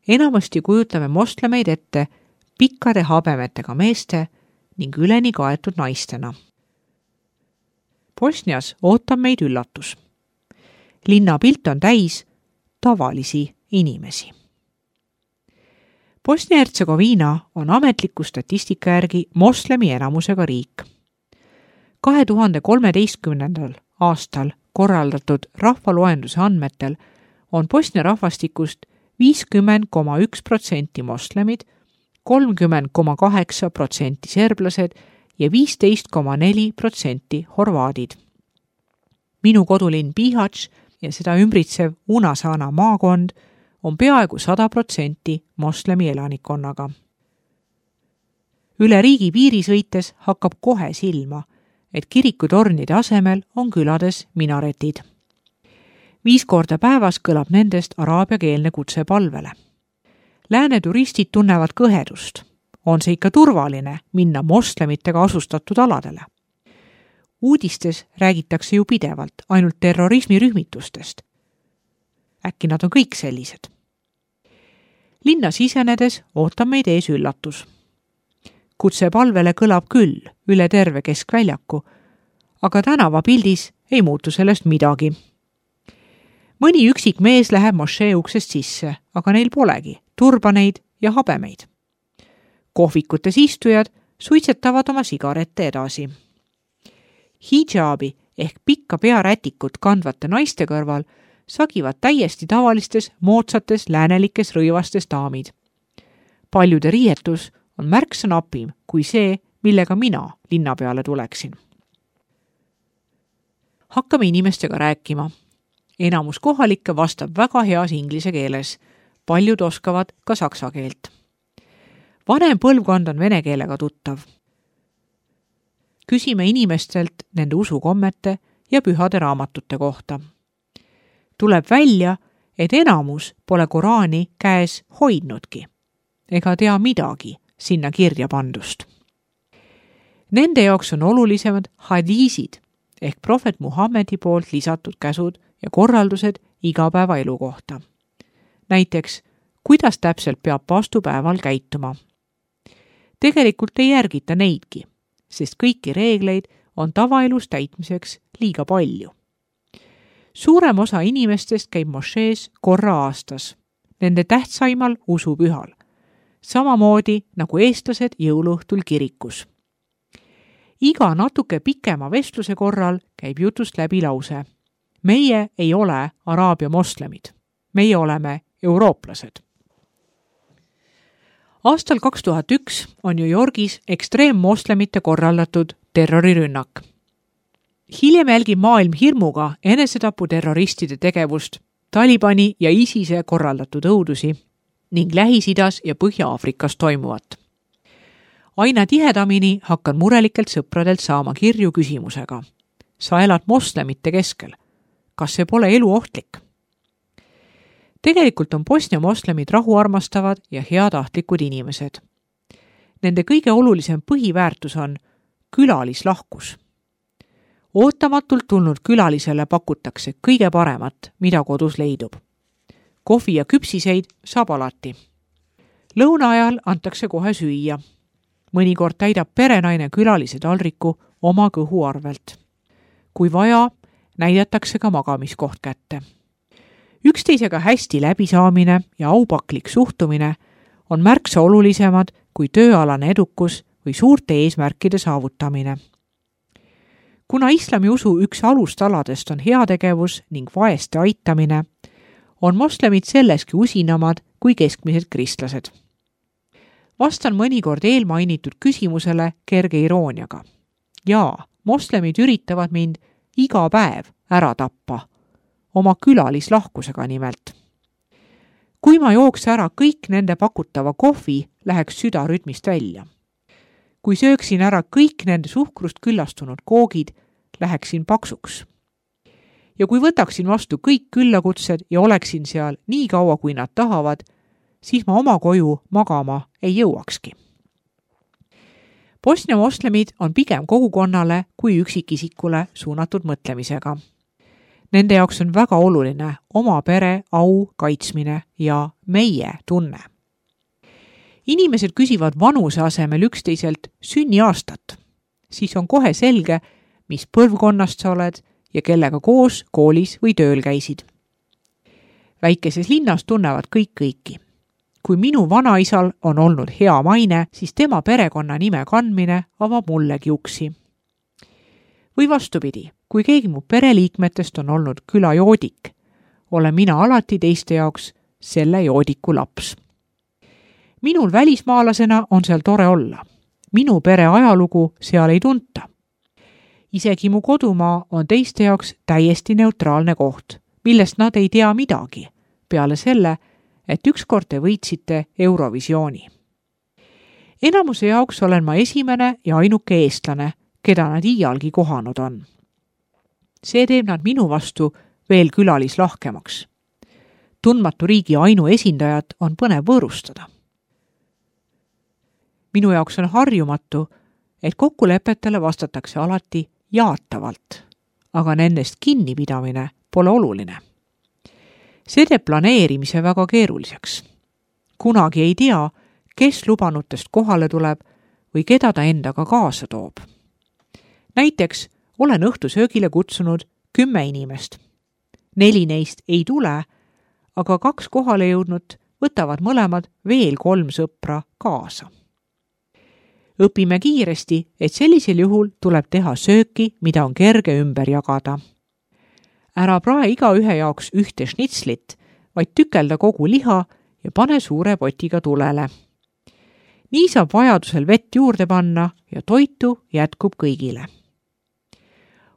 Enamasti kujutame moslemeid ette pikkade habemetega meeste ning üleni kaetud naistena. Bosnias ootab meid üllatus. Linnapilt on täis tavalisi inimesi. Bosnia-Hertsegoviina on ametliku statistika järgi moslemi enamusega riik. 2013. aastal korraldatud rahvaloenduse andmetel on Bosnia rahvastikust 50,1% moslemid, 30,8% serblased ja 15,4% horvaadid. Minu kodulinn Bihać ja seda ümbritsev Unasana maakond on peaaegu 100% moslemi elanikkonnaga. Üle riigi piiri sõites hakkab kohe silma, et kirikutornide asemel on külades minaretid. 5 korda päevas kõlab nendest araabiakeelne kutse palvele. Lääne turistid tunnevad kõhedust. On see ikka turvaline minna moslemitega asustatud aladele? Uudistes räägitakse ju pidevalt ainult terrorismirühmitustest. Äkki nad on kõik sellised? Linna sisenedes ootab meid ees üllatus. Kutse palvele kõlab küll üle terve keskväljaku, aga tänavapildis ei muutu sellest midagi. Mõni üksik mees läheb mošee uksest sisse, aga neil polegi turbaneid ja habemeid. Kohvikutes istujad suitsetavad oma sigarette edasi. Hijabi ehk pikka pearätikut kandvate naiste kõrval sagivad täiesti tavalistes, moodsates, läänelikes rõivastes daamid. Paljude riietus on märksa napim kui see, millega mina linna peale tuleksin. Hakkame inimestega rääkima. Enamus kohalikke vastab väga heas inglise keeles. Paljud oskavad ka saksa keelt. Vanem põlvkond on vene keelega tuttav. Küsime inimestelt nende usukommete ja pühade raamatute kohta. Tuleb välja, et enamus pole Koraani käes hoidnudki ega tea midagi sinna kirja pandust. Nende jaoks on olulisemad hadiisid ehk prohvet Muhammedi poolt lisatud käsud ja korraldused igapäevaelu kohta. Näiteks, kuidas täpselt peab paastupäeval käituma. Tegelikult ei järgita neidki, sest kõiki reegleid on tavaelus täitmiseks liiga palju. Suurem osa inimestest käib mošees korra aastas, nende tähtsaimal usupühal, samamoodi nagu eestlased jõuluõhtul kirikus. Iga natuke pikema vestluse korral käib jutust läbi lause. Meie ei ole araabia moslemid, meie oleme eurooplased. Aastal 2001 on New Yorgis ekstreemmoslemite korraldatud terrorirünnak. Hiljem jälgib maailm hirmuga enesetaputerroristide tegevust, Talibani ja ISISe korraldatud õudusi ning Lähis-Idas ja Põhja-Aafrikas toimuvat. Aina tihedamini hakkan murelikelt sõpradelt saama kirju küsimusega. Sa elad moslemite keskel. Kas see pole eluohtlik? Tegelikult on Bosnia moslemid rahuarmastavad ja heatahtlikud inimesed. Nende kõige olulisem põhiväärtus on külalislahkus. Ootamatult tulnud külalisele pakutakse kõige paremat, mida kodus leidub. Kohvi ja küpsiseid saab alati. Lõuna ajal antakse kohe süüa. Mõnikord täidab perenaine külalise taldriku oma kõhu arvelt. Kui vaja, näidatakse ka magamiskoht kätte. Üksteisega hästi läbisaamine ja aupaklik suhtumine on märksa olulisemad kui tööalane edukus või suurte eesmärkide saavutamine. Kuna islami usu üks alustaladest on heategevus ning vaeste aitamine, on moslemid selleski usinamad kui keskmised kristlased. Vastan mõnikord eelmainitud küsimusele kerge irooniaga. Jaa, moslemid üritavad mind iga päev ära tappa, oma külalislahkusega nimelt. Kui ma jooks ära kõik nende pakutava kohvi, läheks süda rütmist välja. Kui sööksin ära kõik nende suhkrust küllastunud koogid, läheksin paksuks. Ja kui võtaksin vastu kõik küllakutsed ja oleksin seal nii kaua, kui nad tahavad, siis ma oma koju magama ei jõuakski. Bosnia moslemid on pigem kogukonnale kui üksikisikule suunatud mõtlemisega. Nende jaoks on väga oluline oma pere au kaitsmine ja meie tunne. Inimesed küsivad vanuse asemel üksteiselt sünniaastat, siis on kohe selge, mis põlvkonnast sa oled ja kellega koos koolis või tööl käisid. Väikeses linnas tunnevad kõik kõiki. Kui minu vanaisal on olnud hea maine, siis tema perekonna nime kandmine avab mullegi uksi. Või vastupidi, kui keegi mu pereliikmetest on olnud külajoodik, olen mina alati teiste jaoks selle joodiku laps. Minul välismaalasena on seal tore olla. Minu pere ajalugu seal ei tunta. Isegi mu kodumaa on teiste jaoks täiesti neutraalne koht, millest nad ei tea midagi, peale selle, et ükskord te võitsite Eurovisiooni. Enamuse jaoks olen ma esimene ja ainuke eestlane, keda nad iialgi kohanud on. See teeb nad minu vastu veel külalislahkemaks. Tundmatu riigi ainuesindajat on põnev võõrustada. Minu jaoks on harjumatu, et kokkulepetele vastatakse alati jaatavalt, aga nendest kinnipidamine pole oluline. See teeb planeerimise väga keeruliseks. Kunagi ei tea, kes lubanutest kohale tuleb või keda ta endaga kaasa toob. Näiteks olen õhtusöögile kutsunud 10 inimest. 4 neist ei tule, aga 2 kohale jõudnud võtavad mõlemad veel 3 sõpra kaasa. Õpime kiiresti, et sellisel juhul tuleb teha sööki, mida on kerge ümber jagada. Ära prae igaühe jaoks ühte šnitslit, vaid tükelda kogu liha ja pane suure potiga tulele. Nii saab vajadusel vett juurde panna ja toitu jätkub kõigile.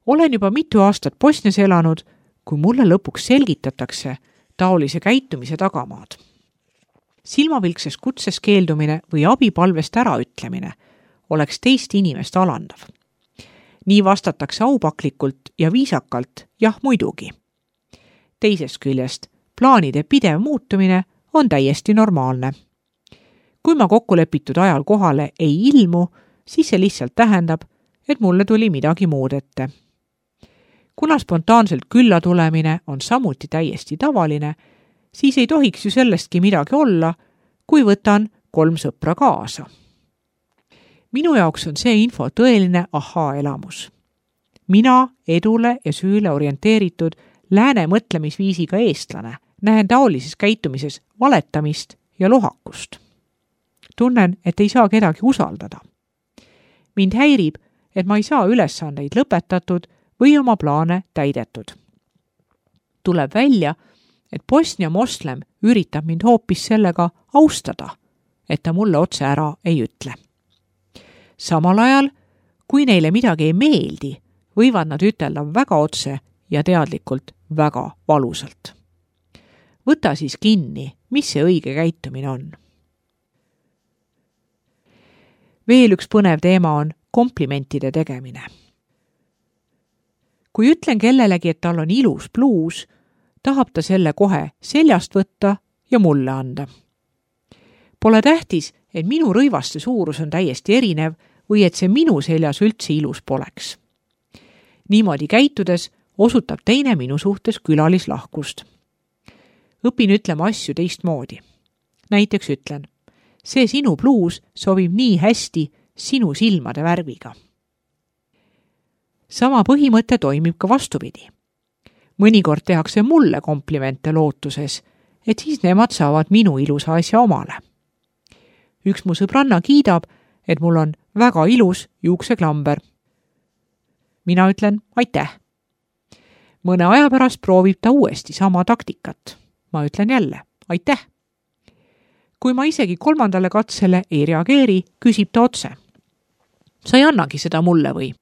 Olen juba mitu aastat Bosnias elanud, kui mulle lõpuks selgitatakse taolise käitumise tagamaad. Silmapilksest kutses keeldumine või abipalvest äraütlemine oleks teist inimest alandav. Nii vastatakse aupaklikult ja viisakalt, jah muidugi. Teisest küljest, plaanide pidev muutumine on täiesti normaalne. Kui ma kokkulepitud ajal kohale ei ilmu, siis see lihtsalt tähendab, et mulle tuli midagi muud ette. Kuna spontaanselt külla tulemine on samuti täiesti tavaline, siis ei tohiks ju sellestki midagi olla, kui võtan 3 sõpra kaasa. Minu jaoks on see info tõeline ahaa-elamus. Mina edule ja süüle orienteeritud lääne mõtlemisviisiga eestlane näen taolises käitumises valetamist ja lohakust. Tunnen, et ei saa kedagi usaldada. Mind häirib, et ma ei saa ülesandeid lõpetatud või oma plaane täidetud. Tuleb välja, et Bosnia moslem üritab mind hoopis sellega austada, et ta mulle otse ära ei ütle. Samal ajal, kui neile midagi ei meeldi, võivad nad ütelda väga otse ja teadlikult väga valusalt. Võta siis kinni, mis see õige käitumine on. Veel üks põnev teema on komplimentide tegemine. Kui ütlen kellelegi, et tal on ilus bluus, tahab ta selle kohe seljast võtta ja mulle anda. Pole tähtis, et minu rõivaste suurus on täiesti erinev või et see minu seljas üldse ilus poleks. Niimoodi käitudes osutab teine minu suhtes külalislahkust. Õpin ütlema asju teistmoodi. Näiteks ütlen, see sinu bluus sobib nii hästi sinu silmade värviga. Sama põhimõte toimib ka vastupidi. Mõnikord tehakse mulle komplimente lootuses, et siis nemad saavad minu ilusa asja omale. Üks mu sõbranna kiidab, et mul on väga ilus juukseklamber. Mina ütlen aitäh. Mõne aja pärast proovib ta uuesti sama taktikat. Ma ütlen jälle aitäh. Kui ma isegi 3. katsele ei reageeri, küsib ta otse. Sa ei annagi seda mulle või?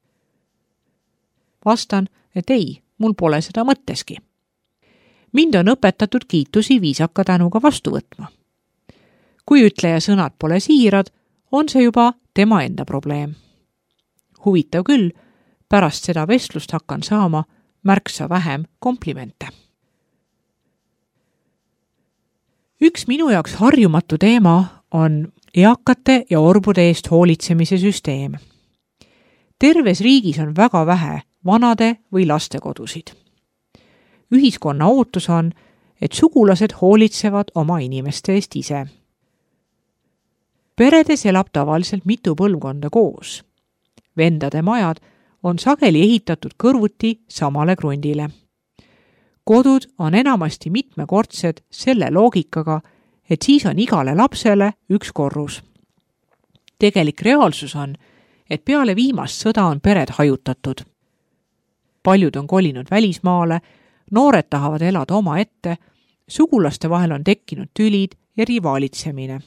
Vastan, et ei, mul pole seda mõtteski. Mind on õpetatud kiitusi viisaka tänuga vastu võtma. Kui ütleja sõnad pole siirad, on see juba tema enda probleem. Huvitav küll, pärast seda vestlust hakkan saama märksa vähem komplimente. Üks minu jaoks harjumatu teema on eakate ja orbude eest hoolitsemise süsteem. Terves riigis on väga vähe vanade või lastekodusid. ühiskonna ootus on, et sugulased hoolitsevad oma inimeste eest ise. Peredes elab tavaliselt mitu põlvkonda koos. Vendade majad on sageli ehitatud kõrvuti samale krundile. Kodud on enamasti mitmekordsed selle loogikaga, et siis on igale lapsele üks korrus. Tegelik reaalsus on, et peale viimast sõda on pered hajutatud. Paljud on kolinud välismaale, noored tahavad elada oma ette, sugulaste vahel on tekkinud tülid ja rivaalitsemine.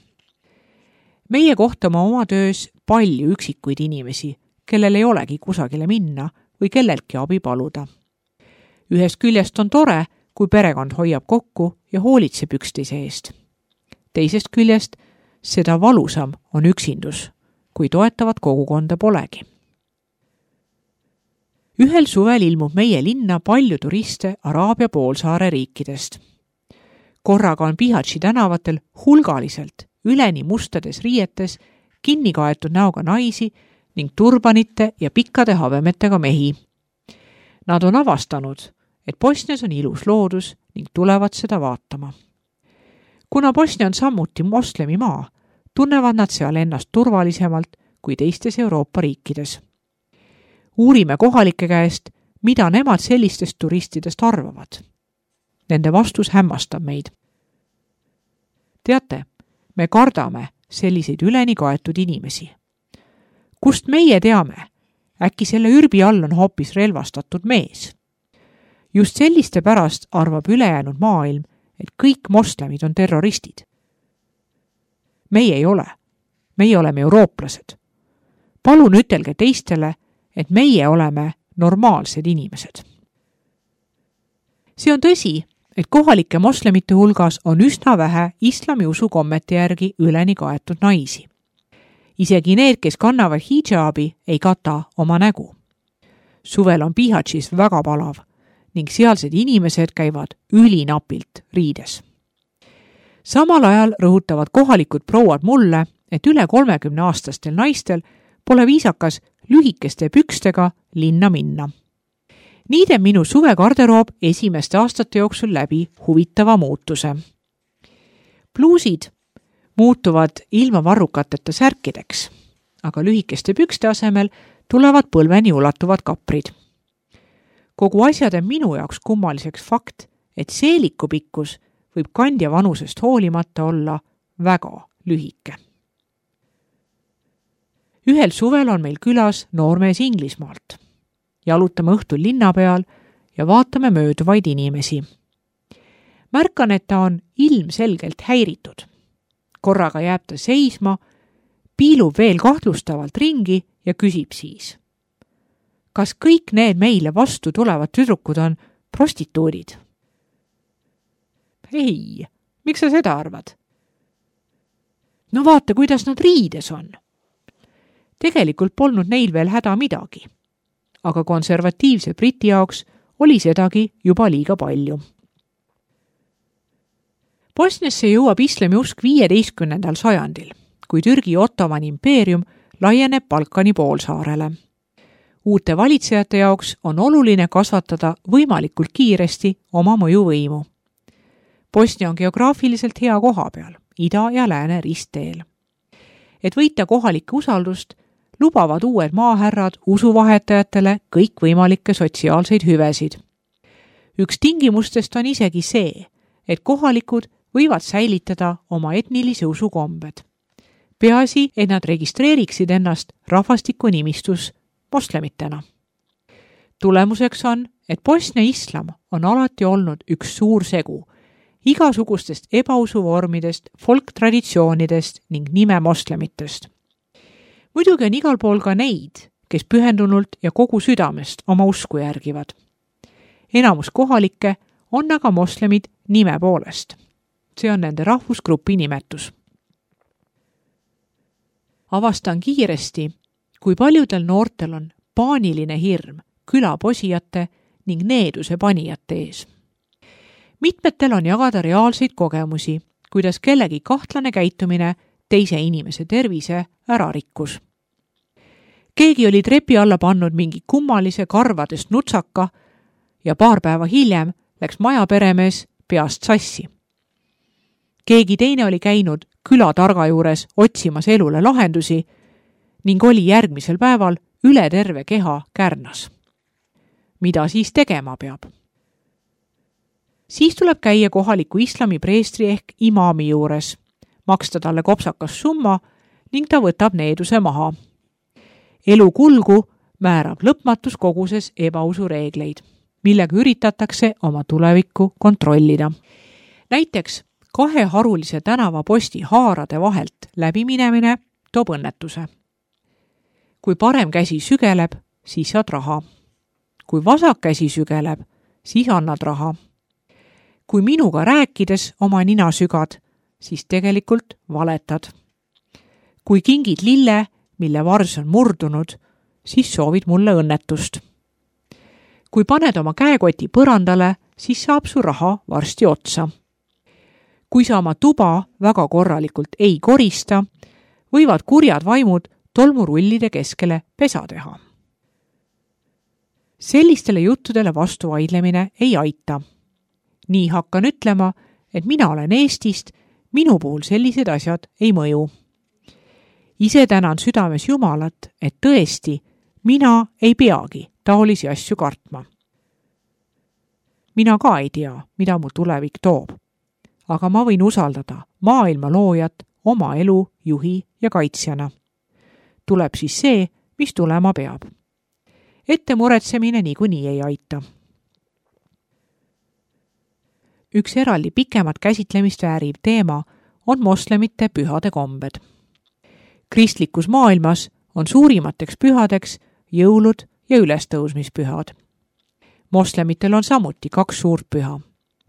Meie kohtame oma töös palju üksikuid inimesi, kellel ei olegi kusagile minna või kelleltki abi paluda. Ühest küljest on tore, kui perekond hoiab kokku ja hoolitseb üksteise eest. Teisest küljest seda valusam on üksindus, kui toetavat kogukonda polegi. Ühel suvel ilmub meie linna palju turiste Araabia poolsaare riikidest. Korraga on Bihaći tänavatel hulgaliselt üleni mustades riietes kinni kaetud näoga naisi ning turbanite ja pikkade habemetega mehi. Nad on avastanud, et Bosnias on ilus loodus ning tulevad seda vaatama. Kuna Bosnia on samuti moslemi maa, tunnevad nad seal ennast turvalisemalt kui teistes Euroopa riikides. Uurime kohalike käest, mida nemad sellistest turistidest arvavad. Nende vastus hämmastab meid. Teate, me kardame selliseid üleni kaetud inimesi. Kust meie teame? Äkki selle ürbi all on hoopis relvastatud mees? Just selliste pärast arvab ülejäänud maailm, et kõik moslemid on terroristid. Meie ei ole. Meie oleme eurooplased. Palun ütelge teistele, et meie oleme normaalsed inimesed. See on tõsi, et kohalike moslemite hulgas on üsna vähe islami usukommete järgi üleni kaetud naisi. Isegi need, kes kannavad hijabi, ei kata oma nägu. Suvel on Bihaćis väga palav ning sealsed inimesed käivad ülinapilt riides. Samal ajal rõhutavad kohalikud prouad mulle, et üle 30-aastastel naistel pole viisakas lühikeste pükstega linna minna. Nii teeb minu suvegarderoob esimeste aastate jooksul läbi huvitava muutuse. Pluusid muutuvad ilma varrukateta särkideks, aga lühikeste pükste asemel tulevad põlveni ulatuvad kaprid. Kogu asja teeb minu jaoks kummaliseks fakt, et seeliku pikkus võib kandja vanusest hoolimata olla väga lühike. Ühel suvel on meil külas noormees Inglismaalt. Jalutame õhtul linna peal ja vaatame mööduvaid inimesi. Märkan, et ta on ilmselgelt häiritud. Korraga jääb ta seisma, piilub veel kahtlustavalt ringi ja küsib siis. Kas kõik need meile vastu tulevad tüdrukud on prostituudid? Ei, miks sa seda arvad? No vaata, kuidas nad riides on. Tegelikult polnud neil veel häda midagi, aga konservatiivse Briti jaoks oli sedagi juba liiga palju. Bosniasse jõuab islami usk 15. sajandil, kui Türgi Ottomani impeerium laieneb Balkani poolsaarele. Uute valitsejate jaoks on oluline kasvatada võimalikult kiiresti oma mõjuvõimu. Bosnia on geograafiliselt hea koha peal, ida ja lääne ristteel. Et võita kohalike usaldust, lubavad uued maahärrad usuvahetajatele kõikvõimalikke sotsiaalseid hüvesid. Üks tingimustest on isegi see, et kohalikud võivad säilitada oma etnilise usukombed. Peaasi, et nad registreeriksid ennast rahvastikunimistus moslemitena. Tulemuseks on, et Bosnia islam on alati olnud üks suur segu igasugustest ebausuvormidest, folktraditsioonidest ning nime moslemitest. Muidugi on igal pool ka neid, kes pühendunult ja kogu südamest oma usku järgivad. Enamus kohalikke on aga moslemid nime poolest. See on nende rahvusgrupi nimetus. Avastan kiiresti, kui paljudel noortel on paaniline hirm külaposijate ning needuse panijate ees. Mitmetel on jagada reaalseid kogemusi, kuidas kellegi kahtlane käitumine teise inimese tervise ära rikkus. Keegi oli trepi alla pannud mingi kummalise karvadest nutsaka ja paar päeva hiljem läks majaperemees peast sassi. Keegi teine oli käinud külatarga juures otsimas elule lahendusi ning oli järgmisel päeval üle terve keha kärnas. Mida siis tegema peab? Siis tuleb käia kohaliku islami preestri ehk imaami juures, maksta talle kopsakas summa ning ta võtab needuse maha. Elu kulgu määrab lõpmatus koguses ebausureegleid, millega üritatakse oma tulevikku kontrollida. Näiteks 2 harulise tänavaposti haarade vahelt läbiminemine toob õnnetuse. Kui parem käsi sügeleb, siis saad raha. Kui vasak käsi sügeleb, siis annad raha. Kui minuga rääkides oma nina sügad, siis tegelikult valetad. Kui kingid lille, mille vars on murdunud, siis soovid mulle õnnetust. Kui paned oma käekoti põrandale, siis saab su raha varsti otsa. Kui sa oma tuba väga korralikult ei korista, võivad kurjad vaimud tolmurullide keskele pesa teha. Sellistele juttudele vastu vaidlemine ei aita. Nii hakkan ütlema, et mina olen Eestist, minu puhul sellised asjad ei mõju. Ise tänan südames Jumalat, et tõesti, mina ei peagi taolisi asju kartma. Mina ka ei tea, mida mu tulevik toob. Aga ma võin usaldada maailma loojat oma elu juhi ja kaitsjana. Tuleb siis see, mis tulema peab. Ette muretsemine niikuinii ei aita. Üks eraldi pikemat käsitlemist vääriv teema on moslemite pühade kombed. Kristlikus maailmas on suurimateks pühadeks jõulud ja ülestõusmispühad. Moslemitel on samuti 2 suurt püha.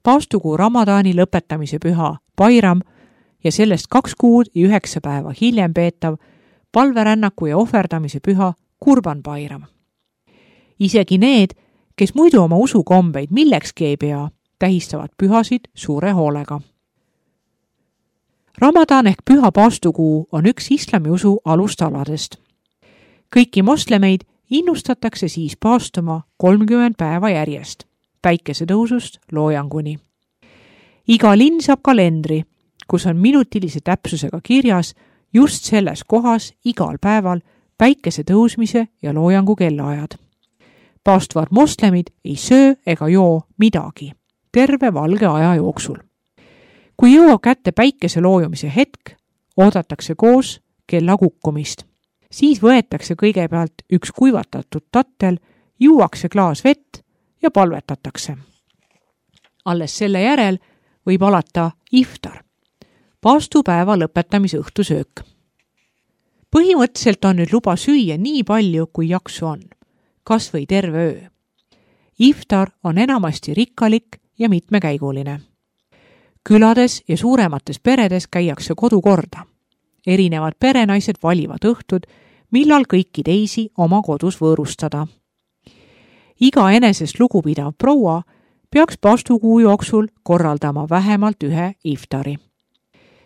Paastukuu Ramadani lõpetamise püha Bairam ja sellest 2 kuud ja 9 päeva hiljem peetav palverännaku ja ohverdamise püha Kurban Bairam. Isegi need, kes muidu oma usukombeid millekski ei pea, tähistavad pühasid suure hoolega. Ramadan ehk püha paastukuu on üks islamiusu alustaladest. Kõiki moslemeid innustatakse siis paastuma 30 päeva järjest, päikesetõusust loojanguni. Iga linn saab kalendri, kus on minutilise täpsusega kirjas just selles kohas igal päeval päikese tõusmise ja loojangu kellaajad. Paastuvad moslemid ei söö ega joo midagi terve valge aja jooksul. Kui jõuab kätte päikese loojumise hetk, oodatakse koos kella kukkumist. Siis võetakse kõigepealt üks kuivatatud tattel, juuakse klaas vett ja palvetatakse. Alles selle järel võib alata iftar, paastupäeva lõpetamise õhtusöök. Põhimõtteliselt on nüüd luba süüa nii palju, kui jaksu on, kas või terve öö. Iftar on enamasti rikkalik ja mitmekäiguline. Külades ja suuremates peredes käiakse kodukorda. Erinevad perenaised valivad õhtud, millal kõiki teisi oma kodus võõrustada. Iga enesest lugupidav proua peaks paastukuu jooksul korraldama vähemalt 1 iftari.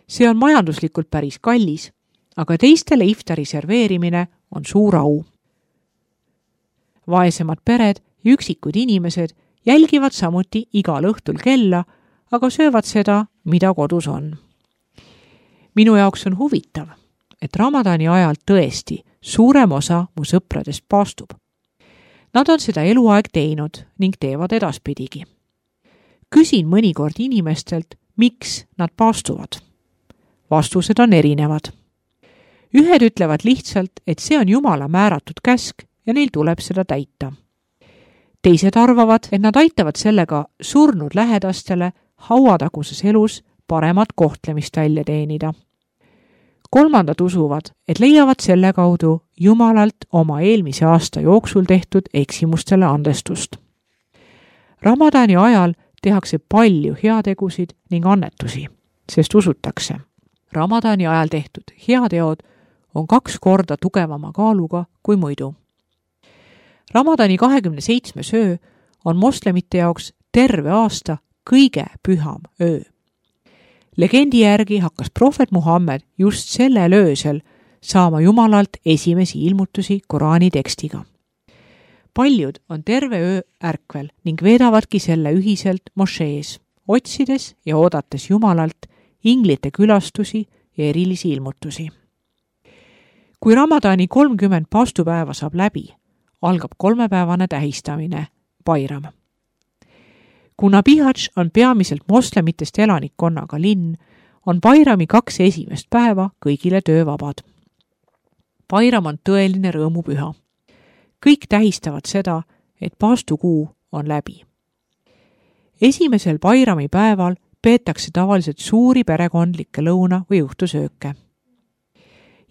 See on majanduslikult päris kallis, aga teistele iftari serveerimine on suur au. Vaesemad pered ja üksikud inimesed jälgivad samuti igal õhtul kella, aga söövad seda, mida kodus on. Minu jaoks on huvitav, et Ramadani ajal tõesti suurem osa mu sõpradest paastub. Nad on seda eluaeg teinud ning teevad edaspidigi. Küsin mõnikord inimestelt, miks nad paastuvad. Vastused on erinevad. Ühed ütlevad lihtsalt, et see on Jumala määratud käsk ja neil tuleb seda täita. Teised arvavad, et nad aitavad sellega surnud lähedastele hauataguses elus paremat kohtlemist välja teenida. Kolmandad usuvad, et leiavad selle kaudu Jumalalt oma eelmise aasta jooksul tehtud eksimustele andestust. Ramadani ajal tehakse palju heategusid ning annetusi, sest usutakse. Ramadani ajal tehtud heateod on 2 korda tugevama kaaluga kui muidu. Ramadani 27. öö on moslemite jaoks terve aasta kõige püham öö. Legendi järgi hakkas prohvet Muhammed just sellel öösel saama Jumalalt esimesi ilmutusi Koraani tekstiga. Paljud on terve öö ärkvel ning veedavadki selle ühiselt mošees, otsides ja oodates Jumalalt inglite külastusi ja erilisi ilmutusi. Kui Ramadani 30 paastupäeva saab läbi, algab 3-päevane tähistamine, Bairam. Kuna Bihać on peamiselt moslemitest elanikkonnaga linn, on Bairami 2 esimest päeva kõigile töövabad. Bairam on tõeline rõõmupüha. Kõik tähistavad seda, et paastukuu on läbi. Esimesel Bairami päeval peetakse tavaliselt suuri perekondlikke lõuna- või õhtusööke.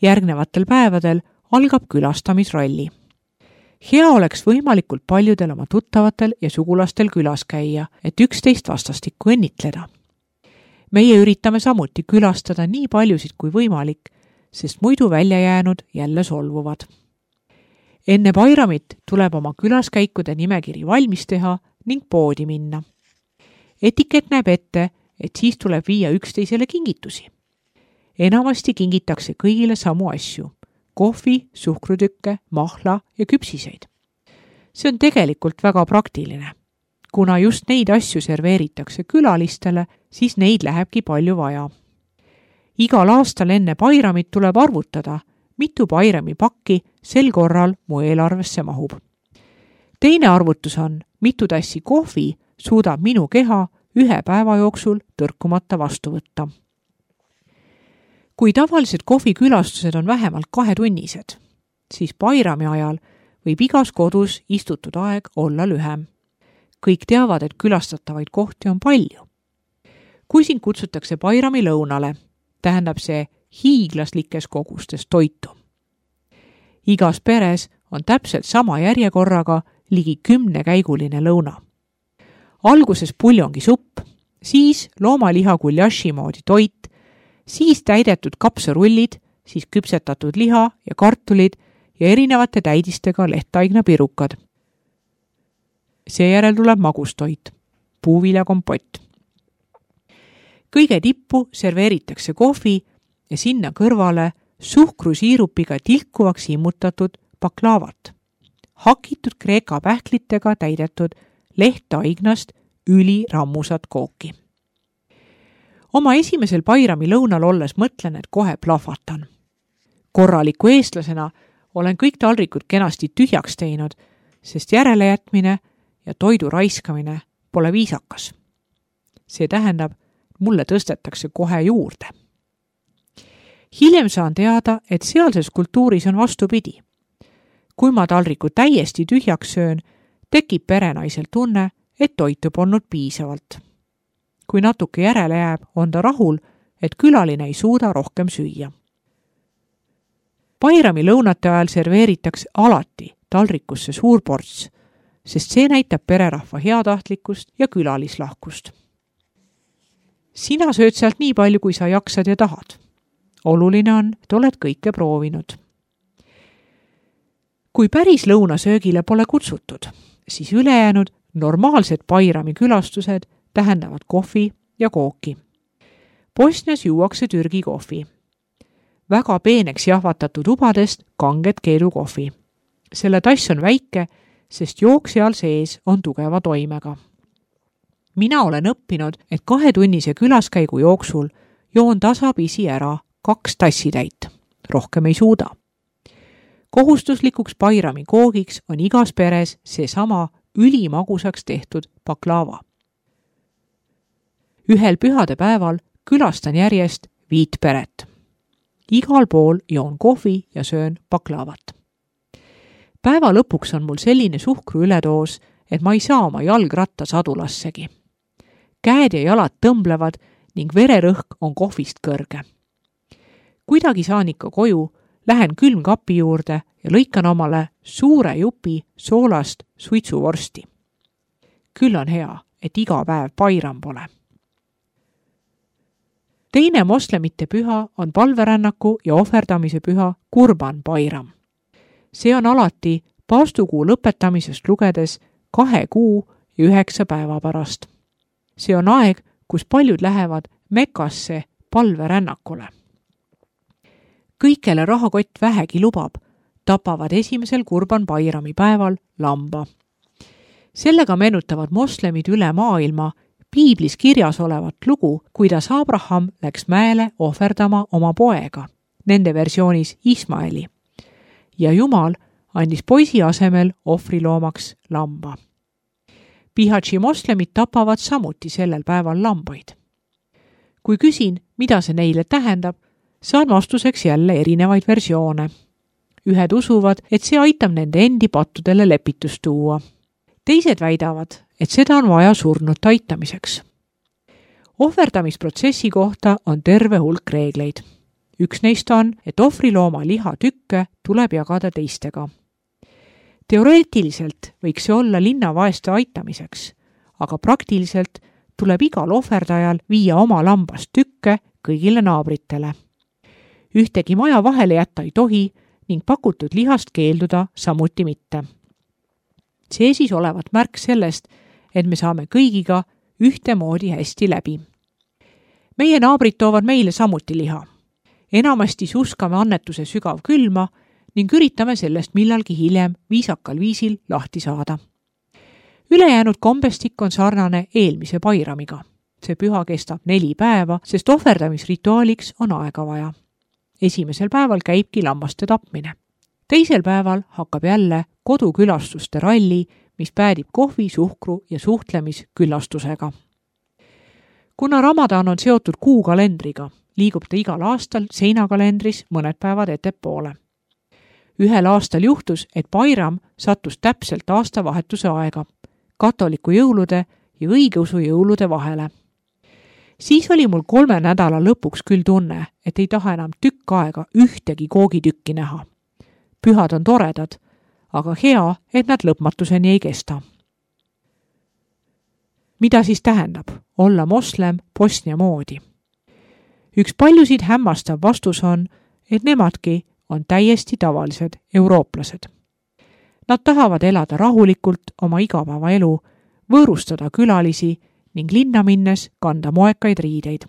Järgnevatel päevadel algab külastamisralli. Hea oleks võimalikult paljudel oma tuttavatel ja sugulastel külas käia, et üksteist vastastikku õnnitleda. Meie üritame samuti külastada nii paljusid kui võimalik, sest muidu välja jäänud jälle solvuvad. Enne Bairamit tuleb oma külaskäikude nimekiri valmis teha ning poodi minna. Etikett näeb ette, et siis tuleb viia üksteisele kingitusi. Enamasti kingitakse kõigile samu asju: kohvi, suhkrutükke, mahla ja küpsiseid. See on tegelikult väga praktiline. Kuna just neid asju serveeritakse külalistele, siis neid lähebki palju vaja. Igal aastal enne Bairamit tuleb arvutada, mitu Bairami pakki sel korral mu eelarvesse mahub. Teine arvutus on, mitu tassi kohvi suudab minu keha 1 päeva jooksul tõrkumata vastu võtta. Kui tavalised kohvikülastused on vähemalt 2-tunnised, siis Bairami ajal võib igas kodus istutud aeg olla lühem. Kõik teavad, et külastatavaid kohti on palju. Kui sind kutsutakse Bairami lõunale, tähendab see hiiglaslikes kogustes toitu. Igas peres on täpselt sama järjekorraga ligi 10-käiguline lõuna. Alguses puljongi supp, siis loomaliha guljaši moodi toit, siis täidetud kapsarullid, siis küpsetatud liha ja kartulid ja erinevate täidistega lehtaigna pirukad. Seejärel tuleb magustoit, puuviljakompott. Kõige tippu serveeritakse kohvi ja sinna kõrvale suhkrusiirupiga tilkuvaks immutatud baklaavat, hakitud kreeka pähklitega täidetud lehtaignast ülirammusat kooki. Oma esimesel Bairami lõunal olles mõtlen, et kohe plahvatan. Korraliku eestlasena olen kõik taldrikud kenasti tühjaks teinud, sest järelejätmine ja toidu raiskamine pole viisakas. See tähendab, mulle tõstetakse kohe juurde. Hiljem saan teada, et sealses kultuuris on vastupidi. Kui ma taldriku täiesti tühjaks söön, tekib perenaisel tunne, et toitu polnud piisavalt. Kui natuke järele jääb, on ta rahul, et külaline ei suuda rohkem süüa. Bairami lõunate ajal serveeritakse alati taldrikusse suur ports, sest see näitab pererahva heatahtlikkust ja külalislahkust. Sina sööd sealt nii palju, kui sa jaksad ja tahad. Oluline on, et oled kõike proovinud. Kui päris lõunasöögile pole kutsutud, siis ülejäänud normaalsed Bairami külastused tähendavad kohvi ja kooki. Bosnias juuakse Türgi kohvi. Väga peeneks jahvatatud ubadest kanget keedukohvi. Selle tass on väike, sest jook seal sees on tugeva toimega. Mina olen õppinud, et 2-tunnise külaskäigu jooksul joon tasapisi ära 2 tassitäit. Rohkem ei suuda. Kohustuslikuks Bairami koogiks on igas peres seesama ülimagusaks tehtud baklaava. Ühel pühade päeval külastan järjest 5 peret. Igal pool joon kohvi ja söön baklaavat. Päeva lõpuks on mul selline suhkru ületoos, et ma ei saa oma jalgrattas adulassegi. Käed ja jalad tõmblevad ning vererõhk on kohvist kõrge. Kuidagi saan ikka koju, lähen külmkapi juurde ja lõikan omale suure jupi soolast suitsuvorsti. Küll on hea, et iga päev Bairam pole. Teine moslemite püha on palverännaku ja ohverdamise püha Kurban Bairam. See on alati paastukuu lõpetamisest lugedes 2 kuu ja 9 päeva pärast. See on aeg, kus paljud lähevad Mekasse palverännakule. Kõikele rahakott vähegi lubab, tapavad esimesel Kurban Bayrami päeval lamba. Sellega meenutavad moslemid üle maailma piiblis kirjas olevat lugu, kuidas Abraham läks mäele ohverdama oma poega, nende versioonis Ismaeli, ja Jumal andis poisi asemel ohvriloomaks lamba. Bihaći moslemid tapavad samuti sellel päeval lambaid. Kui küsin, mida see neile tähendab, saan vastuseks jälle erinevaid versioone. Ühed usuvad, et see aitab nende endi pattudele lepitust tuua. Teised väidavad, et seda on vaja surnute aitamiseks. Ohverdamisprotsessi kohta on terve hulk reegleid. Üks neist on, et ohvrilooma lihatükke tuleb jagada teistega. Teoreetiliselt võiks see olla linnavaeste aitamiseks, aga praktiliselt tuleb igal ohverdajal viia oma lambast tükke kõigile naabritele. Ühtegi maja vahele jätta ei tohi ning pakutud lihast keelduda samuti mitte. See siis olevat märk sellest, et me saame kõigiga ühtemoodi hästi läbi. Meie naabrid toovad meile samuti liha. Enamasti suskame annetuse sügav külma ning üritame sellest millalgi hiljem viisakal viisil lahti saada. Ülejäänud kombestik on sarnane eelmise Bayramiga. See püha kestab 4 päeva, sest ohverdamisrituaaliks on aega vaja. Esimesel päeval käibki lammaste tapmine. Teisel päeval hakkab jälle kodukülastuste ralli, mis päädib kohvi, suhkru ja suhtlemisküllastusega. Kuna Ramadan on seotud kuukalendriga, liigub ta igal aastal seinakalendris mõned päevad ettepoole. Ühel aastal juhtus, et Bayram sattus täpselt aastavahetuse aega, katoliku jõulude ja õigeusu jõulude vahele. Siis oli mul 3 nädala lõpuks küll tunne, et ei taha enam tükk aega ühtegi koogitükki näha. Pühad on toredad, aga hea, et nad lõpmatuseni ei kesta. Mida siis tähendab olla moslem Bosnia moodi? Üks paljusid hämmastav vastus on, et nemadki on täiesti tavalised eurooplased. Nad tahavad elada rahulikult oma igapäevaelu, võõrustada külalisi ning linna minnes kanda moekaid riideid.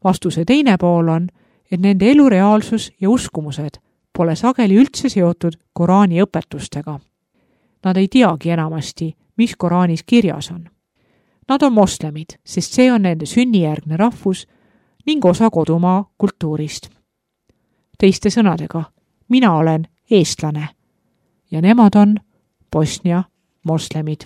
Vastuse teine pool on, et nende elureaalsus ja uskumused pole sageli üldse seotud Koraani õpetustega. Nad ei teagi enamasti, mis Koraanis kirjas on. Nad on moslemid, sest see on nende sünnijärgne rahvus ning osa kodumaa kultuurist. Teiste sõnadega, mina olen eestlane ja nemad on Bosnia moslemid.